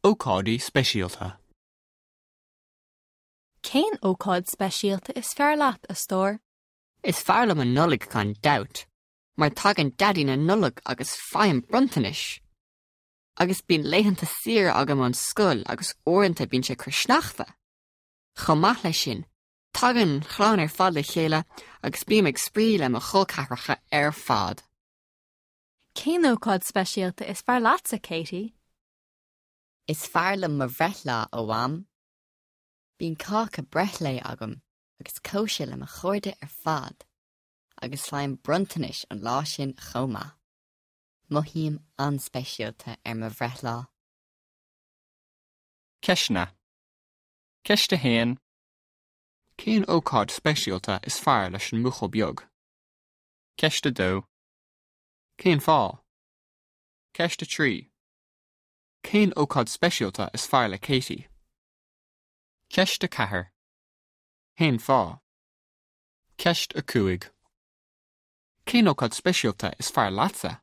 Ócáidí speisialta. Cén ócáid speisialta is fearr leat, a stór? Is fearr liom an Nollaig gan dabht, mar tagann Daidí na Nollag agus faighim bronntanais. Agus bíonn laethanta saoire agam ón scoil agus uaireanta bíonn sé ag cur sneachta. Chomh maith leis sin, tagann an chlann ar fad le chéile agus bím ag spraoi le mo chol ceathracha ar fad. Cén ócáid speisialta is fearr leatsa, Katie? Is fearr liom mo bhreithlá, a Mham. Bíonn cáca breithlae agam agus cóisir le mo chairde ar fad, agus faighim bronntanais an lá sin chomh maith. Mothaím an-speisialta ar mo bhreithlá. Ceisteanna. Ceist 1. Cén ócáid speisialta is fearr leis an mbuachaill beag? Ceist 2. Cén fáth? Ceist 3. Cén ócáid speisialta is fearr le Katie? Ceist 4. Cén fáth? Ceist 5. Cén ócáid speisialta is fearr leatsa?